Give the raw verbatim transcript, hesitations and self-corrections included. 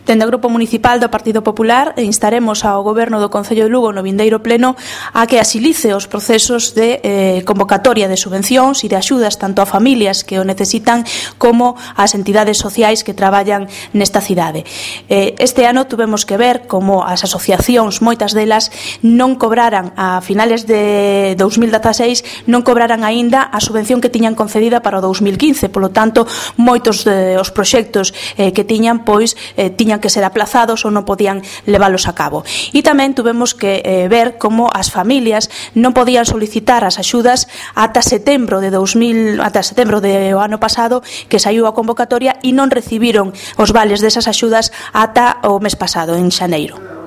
Dende o Grupo Municipal do Partido Popular instaremos ao Goberno do Concello de Lugo no vindeiro pleno a que asilice os procesos de eh, convocatoria de subvencións e de axudas tanto a familias que o necesitan como ás entidades sociais que traballan nesta cidade. Eh, este ano tuvemos que ver como as asociacións, moitas delas, non cobraran a finales de dous mil dezaseis, non cobraran aínda a subvención que tiñan concedida para o dous mil quince, polo tanto, moitos dos proxectos eh, que tiñan, pois, eh, tiñan que ser aplazados ou non podían leválos a cabo. E tamén tuvemos que eh, ver como as familias non podían solicitar as axudas ata setembro de dous mil, ata setembro do ano pasado, que saiu a convocatoria, e non recibiron os vales desas axudas ata o mes pasado, en xaneiro.